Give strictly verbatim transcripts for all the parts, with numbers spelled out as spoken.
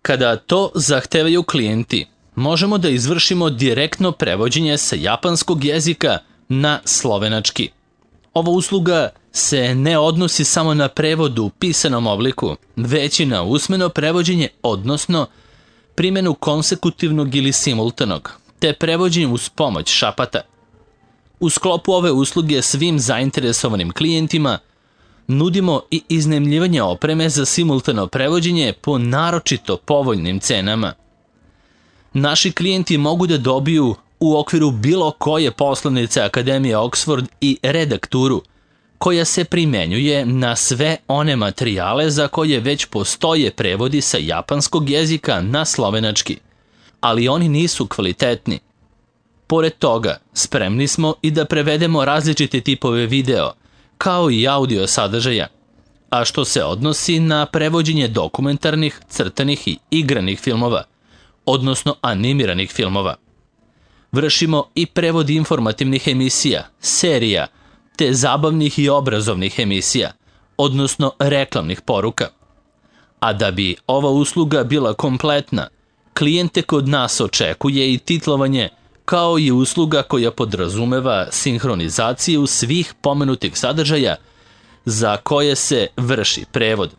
Kada to zahtevaju klijenti, možemo da izvršimo direktno prevođenje sa japanskog jezika na slovenački. Ova usluga se ne odnosi samo na prevod u pisanom obliku, već i na usmeno prevođenje, odnosno primjenu konsekutivnog ili simultanog, te prevođenje uz pomoć šapata. U sklopu ove usluge svim zainteresovanim klijentima nudimo i iznajmljivanje opreme za simultano prevođenje po naročito povoljnim cenama. Naši klijenti mogu da dobiju u okviru bilo koje poslovnice Akademije Oxford i redakturu koja se primenjuje na sve one materijale za koje već postoje prevodi sa japanskog jezika na slovenački, ali oni nisu kvalitetni. Pored toga, spremni smo i da prevedemo različite tipove video, kao i audio sadržaja, a što se odnosi na prevođenje dokumentarnih, crtanih i igranih filmova, odnosno animiranih filmova. Vršimo i prevod informativnih emisija, serija, te zabavnih i obrazovnih emisija, odnosno reklamnih poruka. A da bi ova usluga bila kompletna, klijente kod nas očekuje i titlovanje, kao i usluga koja podrazumeva sinhronizaciju svih pomenutih sadržaja za koje se vrši prevod.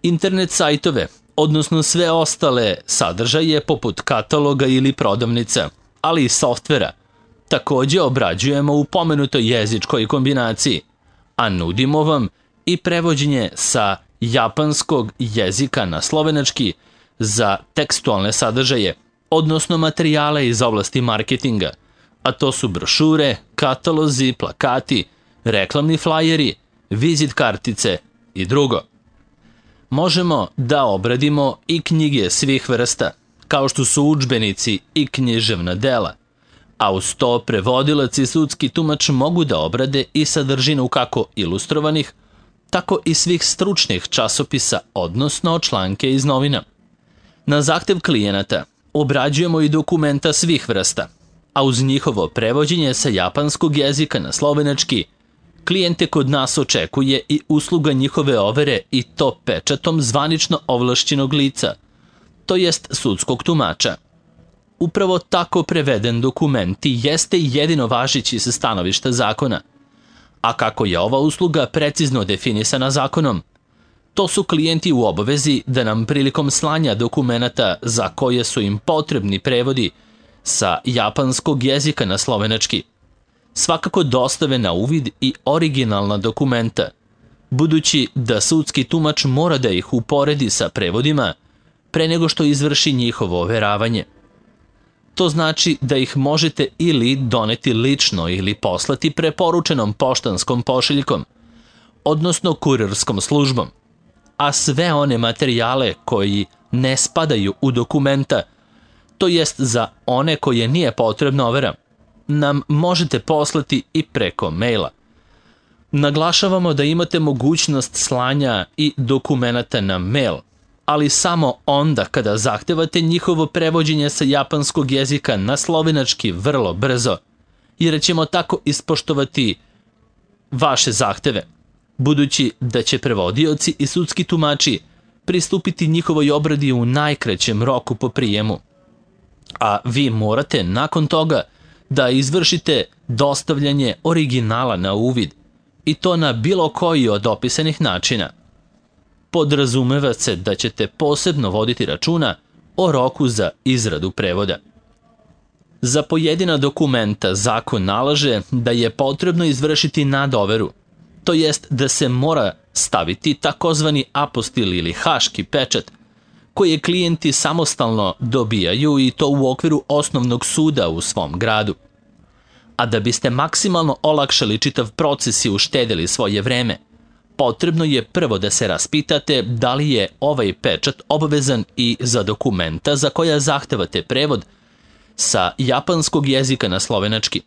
Internet sajtove, odnosno sve ostale sadržaje poput kataloga ili prodavnica, ali i softvera, takođe obrađujemo u pomenutoj jezičkoj kombinaciji, a nudimo vam i prevođenje sa japanskog jezika na slovenački za tekstualne sadržaje, odnosno materijale iz oblasti marketinga, a to su brošure, katalozi, plakati, reklamni flajeri, vizit kartice i drugo. Možemo da obradimo i knjige svih vrsta, kao što su udžbenici i književna dela, a uz to prevodilac i sudski tumač mogu da obrade i sadržinu kako ilustrovanih, tako i svih stručnih časopisa, odnosno članke iz novina. Na zahtev klijenata obrađujemo i dokumenta svih vrsta, a uz njihovo prevođenje sa japanskog jezika na slovenački, klijente kod nas očekuje i usluga njihove overe i to pečatom zvanično ovlašćenog lica, to jest sudskog tumača. Upravo tako preveden dokument i jeste jedino važeći sa stanovišta zakona. A kako je ova usluga precizno definisana zakonom, to su klijenti u obavezi da nam prilikom slanja dokumenata za koje su im potrebni prevodi sa japanskog jezika na slovenački svakako dostave na uvid i originalna dokumenta, budući da sudski tumač mora da ih uporedi sa prevodima pre nego što izvrši njihovo overavanje. To znači da ih možete ili doneti lično ili poslati preporučenom poštanskom pošiljkom, odnosno kurirskom službom, a sve one materijale koji ne spadaju u dokumenta, to jest za one koje nije potrebna overa, nam možete poslati i preko maila. Naglašavamo da imate mogućnost slanja i dokumenata na mail, ali samo onda kada zahtevate njihovo prevođenje sa japanskog jezika na slovenački vrlo brzo, jer ćemo tako ispoštovati vaše zahteve, budući da će prevodioci i sudski tumači pristupiti njihovoj obradi u najkraćem roku po prijemu. A vi morate nakon toga da izvršite dostavljanje originala na uvid, i to na bilo koji od opisanih načina. Podrazumeva se da ćete posebno voditi računa o roku za izradu prevoda. Za pojedina dokumenta zakon nalaže da je potrebno izvršiti nadoveru, to jest da se mora staviti takozvani apostil ili haški pečat, koje klijenti samostalno dobijaju i to u okviru osnovnog suda u svom gradu. A da biste maksimalno olakšali čitav proces i uštedili svoje vreme, potrebno je prvo da se raspitate da li je ovaj pečat obavezan i za dokumenta za koja zahtevate prevod sa japanskog jezika na slovenački.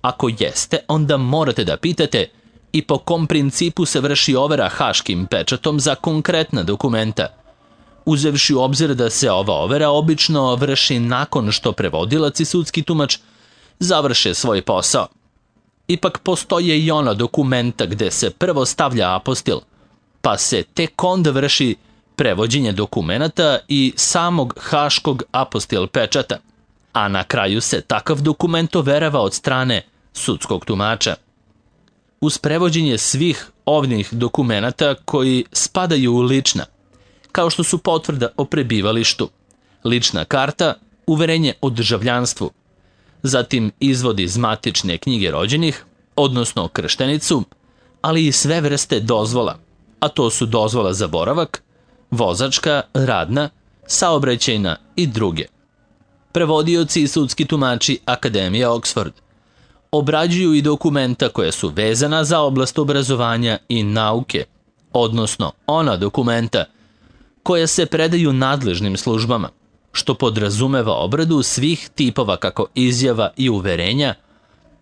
Ako jeste, onda morate da pitate i po kom principu se vrši overa haškim pečatom za konkretna dokumenta, uzevši u obzir da se ova overa obično vrši nakon što prevodilac i sudski tumač završe svoj posao. Ipak postoje i ona dokumenta gde se prvo stavlja apostil, pa se tek onda vrši prevođenje dokumenata i samog haškog apostil pečata, a na kraju se takav dokument overava od strane sudskog tumača. Uz prevođenje svih ovih dokumenata koji spadaju u lična, kao što su potvrda o prebivalištu, lična karta, uverenje o državljanstvu, zatim izvod iz matične knjige rođenih, odnosno krštenicu, ali i sve vrste dozvola, a to su dozvola za boravak, vozačka, radna, saobraćajna i druge. Prevodioci i sudski tumači Akademije Oxford obrađuju i dokumenta koja su vezana za oblast obrazovanja i nauke, odnosno ona dokumenta koja se predaju nadležnim službama, što podrazumeva obradu svih tipova kako izjava i uverenja,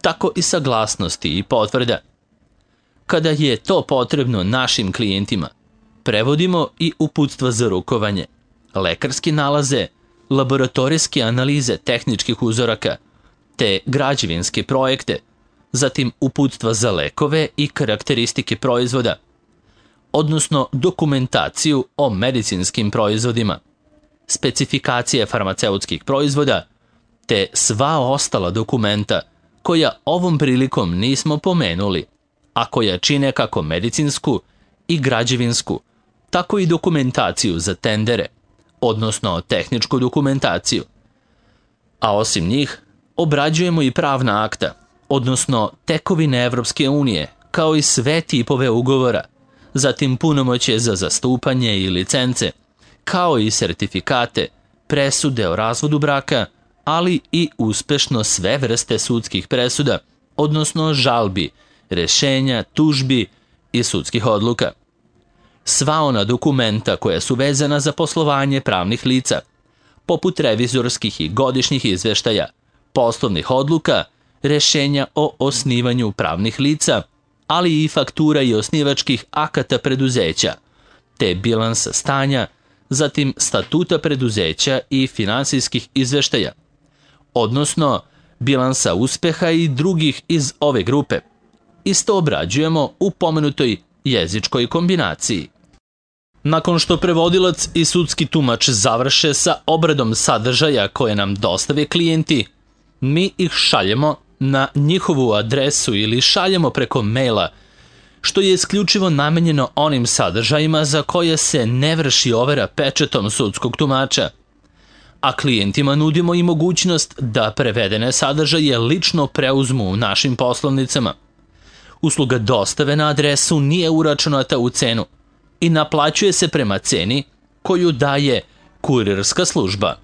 tako i saglasnosti i potvrda. Kada je to potrebno našim klijentima, prevodimo i uputstva za rukovanje, lekarske nalaze, laboratorijske analize tehničkih uzoraka, te građevinske projekte, zatim uputstva za lekove i karakteristike proizvoda, odnosno dokumentaciju o medicinskim proizvodima, specifikacije farmaceutskih proizvoda, te sva ostala dokumenta koja ovom prilikom nismo pomenuli, a koja čine kako medicinsku i građevinsku, tako i dokumentaciju za tendere, odnosno tehničku dokumentaciju. A osim njih, obrađujemo i pravna akta, odnosno tekovine Evropske unije, kao i sve tipove ugovora, zatim punomoćje za zastupanje i licence, kao i sertifikate, presude o razvodu braka, ali i uspešno sve vrste sudskih presuda, odnosno žalbi, rešenja, tužbi i sudskih odluka. Sva ona dokumenta koja su vezana za poslovanje pravnih lica, poput revizorskih i godišnjih izveštaja, poslovnih odluka, rešenja o osnivanju pravnih lica, ali i faktura i osnivačkih akata preduzeća, te bilansa stanja, zatim statuta preduzeća i finansijskih izveštaja, odnosno bilansa uspeha i drugih iz ove grupe. Isto obrađujemo u pomenutoj jezičkoj kombinaciji. Nakon što prevodilac i sudski tumač završe sa obradom sadržaja koje nam dostave klijenti, mi ih šaljemo na njihovu adresu ili šaljemo preko maila, što je isključivo namenjeno onim sadržajima za koje se ne vrši overa pečatom sudskog tumača. A klijentima nudimo i mogućnost da prevedene sadržaje lično preuzmu u našim poslovnicama. Usluga dostave na adresu nije uračunata u cenu i naplaćuje se prema ceni koju daje kurirska služba.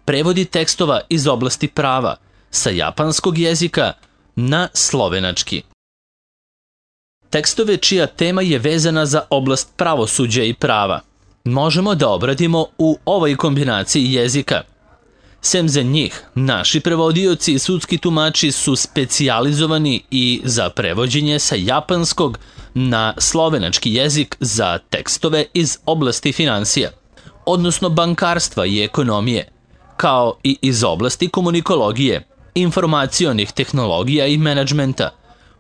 Prevodi tekstova iz oblasti prava sa japanskog jezika na slovenački. Tekstove čija tema je vezana za oblast pravosuđa i prava možemo da obradimo u ovoj kombinaciji jezika. Sem za njih, naši prevodioci i sudski tumači su specijalizovani i za prevođenje sa japanskog na slovenački jezik za tekstove iz oblasti finansija, odnosno bankarstva i ekonomije, kao i iz oblasti komunikologije, informacionih tehnologija i menadžmenta,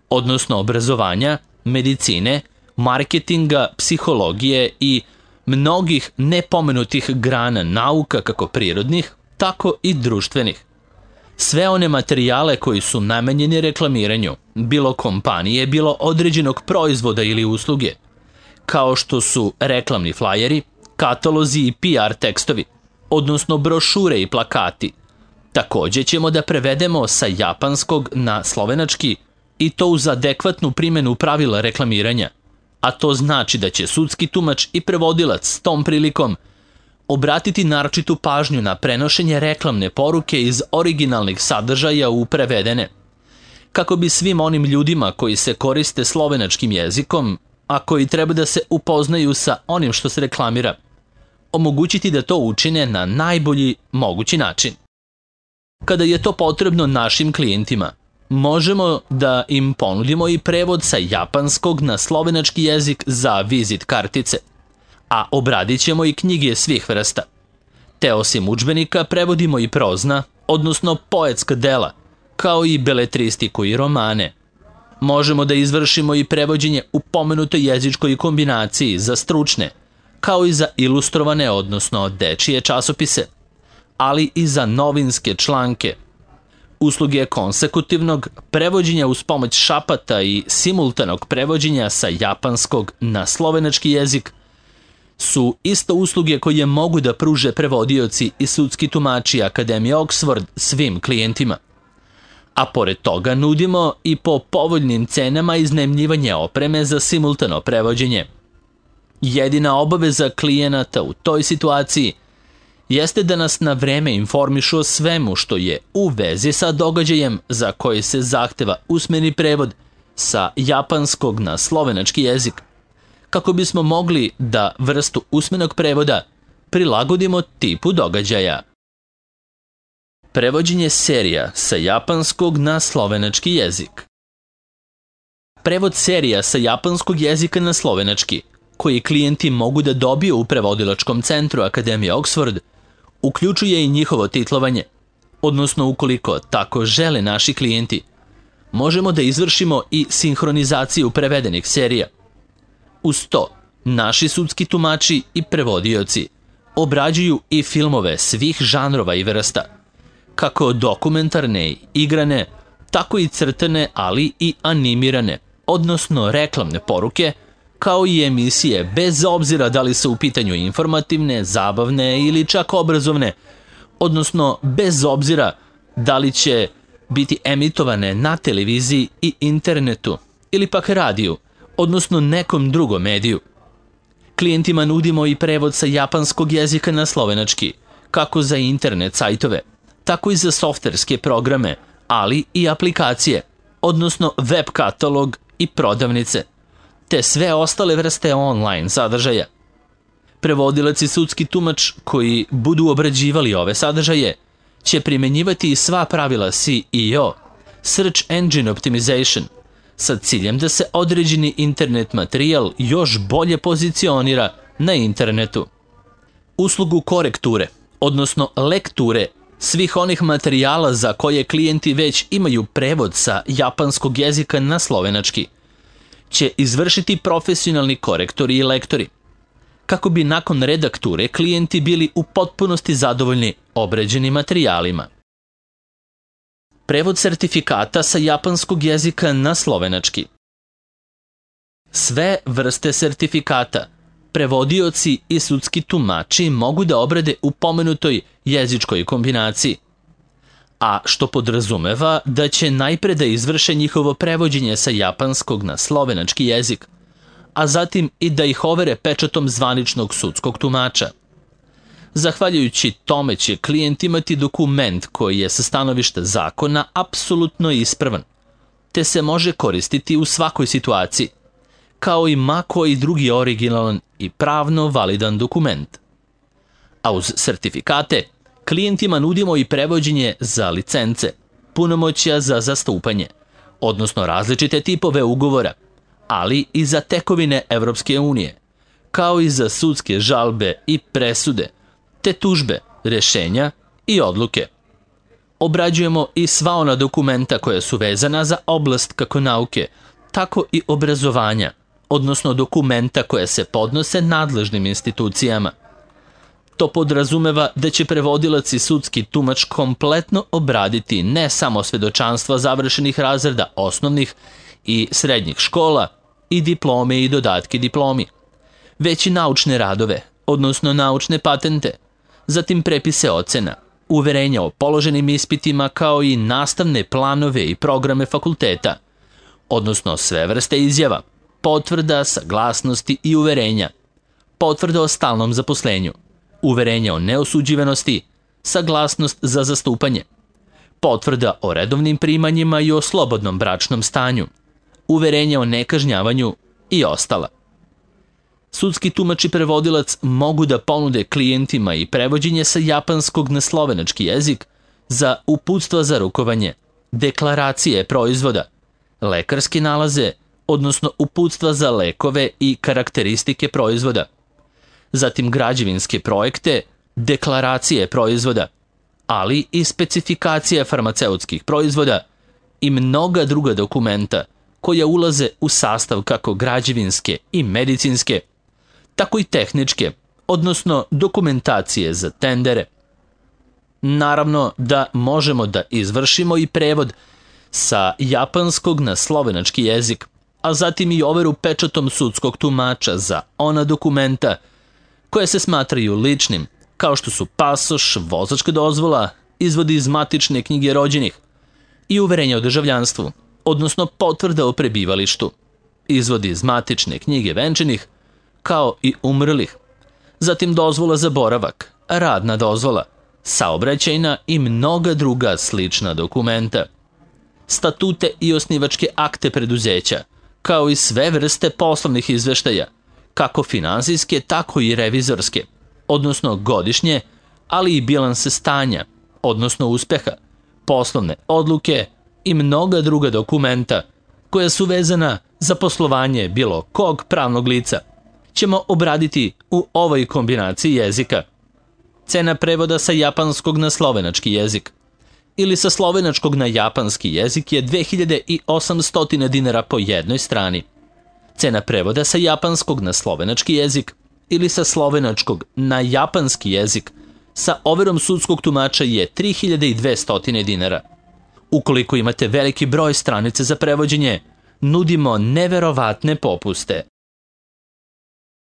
odnosno obrazovanja, medicine, marketinga, psihologije i mnogih nepomenutih grana nauka kako prirodnih, tako i društvenih. Sve one materijale koji su namenjeni reklamiranju, bilo kompanije, bilo određenog proizvoda ili usluge, kao što su reklamni flajeri, katalozi i P R tekstovi, odnosno brošure i plakati. Takođe ćemo da prevedemo sa japanskog na slovenački i to uz adekvatnu primjenu pravila reklamiranja, a to znači da će sudski tumač i prevodilac s tom prilikom obratiti naročitu pažnju na prenošenje reklamne poruke iz originalnih sadržaja u prevedene, kako bi svim onim ljudima koji se koriste slovenačkim jezikom, a koji treba da se upoznaju sa onim što se reklamira, omogućiti da to učine na najbolji mogući način. Kada je to potrebno našim klijentima, možemo da im ponudimo i prevod sa japanskog na slovenački jezik za vizit kartice, a obradit ćemo i knjige svih vrsta. Te osim udžbenika prevodimo i prozna, odnosno poetska dela, kao i beletristiku i romane. Možemo da izvršimo i prevođenje u pomenutoj jezičkoj kombinaciji za stručne, kao i za ilustrovane, odnosno dečije časopise, ali i za novinske članke. Usluge konsekutivnog prevođenja uz pomoć šapata i simultanog prevođenja sa japanskog na slovenački jezik su isto usluge koje mogu da pruže prevodioci i sudski tumači Akademije Oxford svim klijentima. A pored toga nudimo i po povoljnim cenama iznajmljivanje opreme za simultano prevođenje. Jedina obaveza klijenata u toj situaciji jeste da nas na vreme informišu o svemu što je u vezi sa događajem za koji se zahteva usmeni prevod sa japanskog na slovenački jezik, kako bismo mogli da vrstu usmenog prevoda prilagodimo tipu događaja. Prevođenje serija sa japanskog na slovenački jezik. Prevod serija sa japanskog jezika na slovenački, koji klijenti mogu da dobiju u prevodilačkom centru Akademije Oxford, uključuje i njihovo titlovanje, odnosno ukoliko tako žele naši klijenti, možemo da izvršimo i sinhronizaciju prevedenih serija. Uz to, naši sudski tumači i prevodioci obrađuju i filmove svih žanrova i vrsta, kako dokumentarne i igrane, tako i crtane, ali i animirane, odnosno reklamne poruke, kao i emisije bez obzira da li su u pitanju informativne, zabavne ili čak obrazovne, odnosno bez obzira da li će biti emitovane na televiziji i internetu ili pak radiju, odnosno nekom drugom mediju. Klijentima nudimo i prevod sa japanskog jezika na slovenački, kako za internet sajtove, tako i za softverske programe, ali i aplikacije, odnosno web katalog i prodavnice, te sve ostale vrste online sadržaja. Prevodilac i sudski tumač koji budu obrađivali ove sadržaje će primenjivati i sva pravila S E O, Search Engine Optimization, sa ciljem da se određeni internet materijal još bolje pozicionira na internetu. Uslugu korekture, odnosno lekture svih onih materijala za koje klijenti već imaju prevod sa japanskog jezika na slovenački, će izvršiti profesionalni korektori i lektori, kako bi nakon redakture klijenti bili u potpunosti zadovoljni obrađenim materijalima. Prevod sertifikata sa japanskog jezika na slovenački. Sve vrste sertifikata prevodioci i sudski tumači mogu da obrade u pomenutoj jezičkoj kombinaciji, a što podrazumeva da će najpre da izvrše njihovo prevođenje sa japanskog na slovenački jezik, a zatim i da ih overe pečatom zvaničnog sudskog tumača. Zahvaljujući tome će klijent imati dokument koji je sa stanovišta zakona apsolutno ispravan, te se može koristiti u svakoj situaciji, kao i ma koji drugi originalan i pravno validan dokument. A uz sertifikate, klijentima nudimo i prevođenje za licence, punomoćja za zastupanje, odnosno različite tipove ugovora, ali i za tekovine Evropske unije, kao i za sudske žalbe i presude, te tužbe, rešenja i odluke. Obrađujemo i sva ona dokumenta koja su vezana za oblast kako nauke, tako i obrazovanja, odnosno dokumenta koja se podnose nadležnim institucijama. To podrazumeva da će prevodilac i sudski tumač kompletno obraditi ne samo svedočanstva završenih razreda osnovnih i srednjih škola i diplome i dodatke diplomi, već i naučne radove, odnosno naučne patente, zatim prepise ocena, uverenja o položenim ispitima kao i nastavne planove i programe fakulteta, odnosno sve vrste izjava, potvrda, saglasnosti i uverenja, potvrda o stalnom zaposlenju, uverenja o neosuđivanosti, saglasnost za zastupanje, potvrda o redovnim primanjima i o slobodnom bračnom stanju, uverenja o nekažnjavanju i ostala. Sudski tumač i prevodilac mogu da ponude klijentima i prevođenje sa japanskog na slovenački jezik za uputstva za rukovanje, deklaracije proizvoda, lekarske nalaze, odnosno uputstva za lekove i karakteristike proizvoda, zatim građevinske projekte, deklaracije proizvoda, ali i specifikacije farmaceutskih proizvoda i mnoga druga dokumenta koja ulaze u sastav kako građevinske i medicinske, tako i tehničke, odnosno dokumentacije za tendere. Naravno da možemo da izvršimo i prevod sa japanskog na slovenački jezik, a zatim i overu pečatom sudskog tumača za ona dokumenta koje se smatraju ličnim, kao što su pasoš, vozačka dozvola, izvodi iz matične knjige rođenih i uverenja o državljanstvu, odnosno potvrda o prebivalištu, izvodi iz matične knjige venčanih, kao i umrlih, zatim dozvola za boravak, radna dozvola, saobraćajna i mnoga druga slična dokumenta, statute i osnivačke akte preduzeća, kao i sve vrste poslovnih izveštaja, kako finansijske, tako i revizorske, odnosno godišnje, ali i bilanse stanja, odnosno uspeha, poslovne odluke i mnoga druga dokumenta koja su vezana za poslovanje bilo kog pravnog lica, ćemo obraditi u ovoj kombinaciji jezika. Cena prevoda sa japanskog na slovenački jezik ili sa slovenačkog na japanski jezik je dve hiljade osamsto dinara po jednoj strani. Cena prevoda sa japanskog na slovenački jezik ili sa slovenačkog na japanski jezik sa overom sudskog tumača je tri hiljade dvesta dinara. Ukoliko imate veliki broj stranice za prevođenje, nudimo neverovatne popuste.